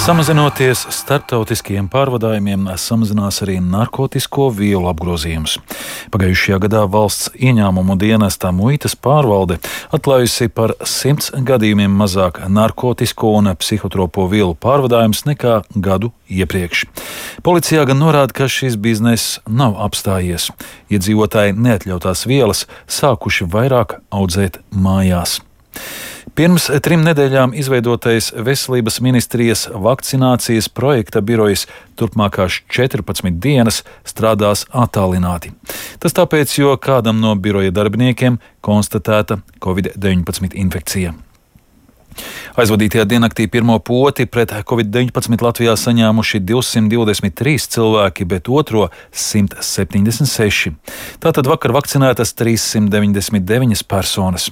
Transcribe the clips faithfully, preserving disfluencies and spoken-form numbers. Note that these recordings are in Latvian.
Samazinoties starptautiskajiem pārvadājumiem, samazinās arī narkotisko vielu apgrozījums. Pagājušajā gadā valsts ieņēmumu dienesta muitas pārvalde atklājusi par simts gadījumiem mazāk narkotisko un psihotropo vielu pārvadājumus nekā gadu iepriekš. Policijā gan norāda, ka šis bizness nav apstājies. Iedzīvotāji neatļautās vielas sākuši vairāk audzēt mājās. Pirms trim nedēļām izveidotais Veselības ministrijas vakcinācijas projekta birojs turpmākās četrpadsmit dienas strādās attālināti. Tas tāpēc, jo kādam no biroja darbiniekiem konstatēta covid deviņpadsmit infekcija. Aizvadītajā diennaktī pirmo poti pret covid deviņpadsmit Latvijā saņēmuši divsimt divdesmit trīs cilvēki, bet otro simt septiņdesmit seši. Tātad vakar vakcinētas trīssimt deviņdesmit deviņas personas.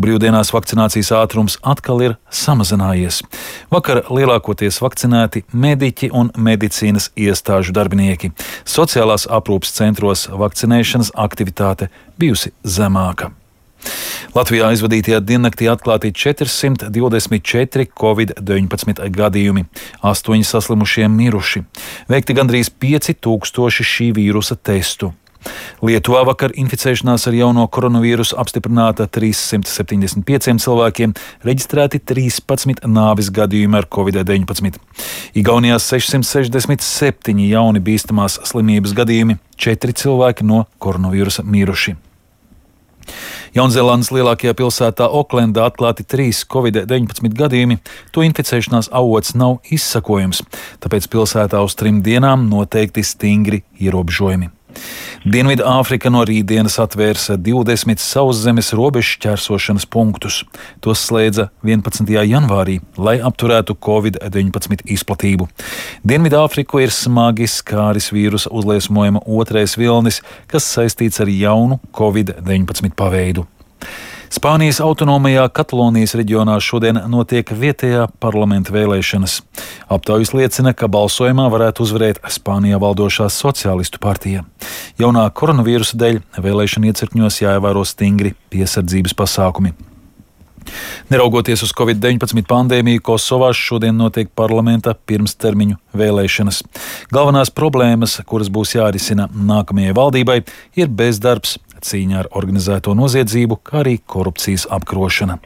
Brīvdienās vakcinācijas ātrums atkal ir samazinājies. Vakar lielākoties vakcinēti mediķi un medicīnas iestāžu darbinieki. Sociālās aprūpes centros vakcinēšanas aktivitāte bijusi zemāka. Latvijā aizvadītajā diennaktī atklāti četrsimt divdesmit četri covid deviņpadsmit gadījumi, astoņi saslimušie miruši, veikti gandrīz pieci tūkstoši šī vīrusa testu. Lietuvā vakar inficēšanās ar jauno koronavīrusu apstiprināta trīssimt septiņdesmit pieciem cilvēkiem, reģistrēti trīspadsmit nāves gadījumi ar covid deviņpadsmit. Igaunijā sešsimt sešdesmit septiņi jauni bīstamās slimības gadījumi, četri cilvēki no koronavīrusa miruši. Jaunzēlandes lielākajā pilsētā Oklendā atklāti trīs covid deviņpadsmit gadījumi, to inficēšanās avots nav izsakojams, tāpēc pilsētā uz trim dienām noteikti stingri ierobežojumi. Dienvidāfrika no rītdienas atvērs divdesmit sauszemes robežu šķērsošanas punktus. Tos slēdza vienpadsmitajā janvārī, lai apturētu covid deviņpadsmit izplatību. Dienvidāfriku ir smagi skāris vīrusa uzliesmojuma otrais vilnis, kas saistīts ar jaunu covid deviņpadsmit paveidu. Spānijas autonomajā Katalonijas reģionā šodien notiek vietējā parlamenta vēlēšanas. Aptaujas liecina, ka balsojumā varētu uzvarēt Spānijā valdošā sociālistu partija. Jaunā koronavīrusa dēļ vēlēšana iecirkņos jāievēro stingri piesardzības pasākumi. Neraugoties uz covid deviņpadsmit pandēmiju, Kosovā šodien notiek parlamenta pirmstermiņu vēlēšanas. Galvenās problēmas, kuras būs jārisina nākamajai valdībai, ir bezdarbs, cīņa ar organizēto noziedzību, kā arī korupcijas apkarošana.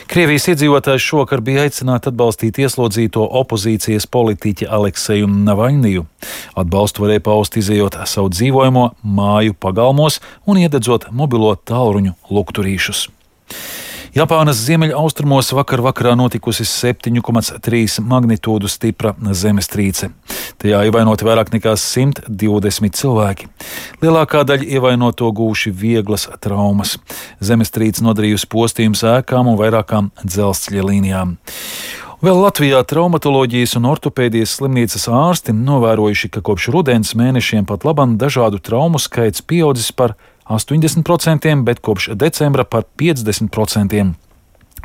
Krievijas iedzīvotājs šovakar bija aicināti atbalstīt ieslodzīto opozīcijas politiķi Alekseju Navaļniju. Atbalstu varēja paust izejot savu dzīvojamo māju pagalmos un iededzot mobilo tālruņu lukturīšus. Japānas ziemeļaustrumos vakar vakarā notikusi septiņu komats trīs magnitūdu stipra zemestrīce. Tajā ievainoti vairāk nekā simt divdesmit cilvēki. Lielākā daļa ievainoto gūši vieglas traumas. Zemestrīce nodarījusi postījumus ēkām un vairākām dzelzceļa līnijām. Vēl Latvijā traumatoloģijas un ortopēdijas slimnīcas ārsti novērojuši, ka kopš rudens mēnešiem pat labam dažādu traumu skaits pieaudzis par astoņdesmit procentiem, bet kopš decembra par piecdesmit procentiem.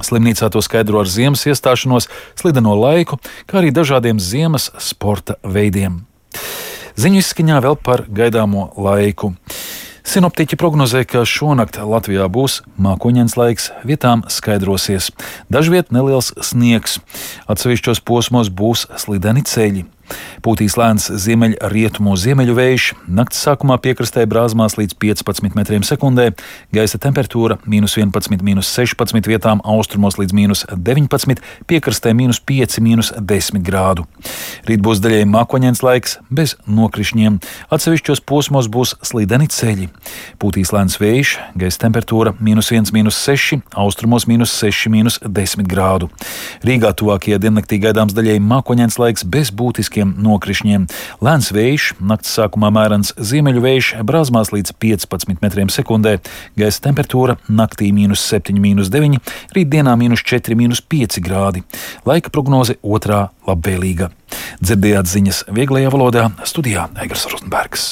Slimnīcā to skaidro ar ziemas iestāšanos, slideno laiku, kā arī dažādiem ziemas sporta veidiem. Ziņu izskaņā vēl par gaidāmo laiku. Sinoptiķi prognozē, ka šonakt Latvijā būs mākoņains laiks, vietām skaidrosies. Dažviet neliels sniegs. Atsevišķos posmos būs slideni ceļi. Pūtīs lēns ziemeļrietumu ziemeļu vējš, nakts sākumā piekrastē brāzmās līdz piecpadsmit metriem sekundē, gaisa temperatūra mīnus vienpadsmit, mīnus sešpadsmit, vietām austrumos līdz mīnus deviņpadsmit, piekrastē mīnus pieci, mīnus desmit grādu. Rīt būs daļēji mākoņains laiks, bez nokrišņiem, atsevišķos posmos būs slideni ceļi. Pūtīs lēns vējš, gaisa temperatūra mīnus viens, mīnus seši, austrumos mīnus seši, mīnus desmit grādu. Rīgā tuvākajā diennaktī gaidāms daļēji mākoņains laiks bez būtiskiem nokrišņiem. Lēns vējš, nakts sākumā mērens ziemeļu vējš, brāzmās līdz piecpadsmit metriem sekundē, gaisa temperatūra naktī mīnus septiņi, mīnus deviņi, rītdienā mīnus četri, mīnus pieci grādi. Laika prognoze otrā labvēlīga. Dzirdējāt ziņas vieglajā valodā, studijā Eigars Rozenbergs.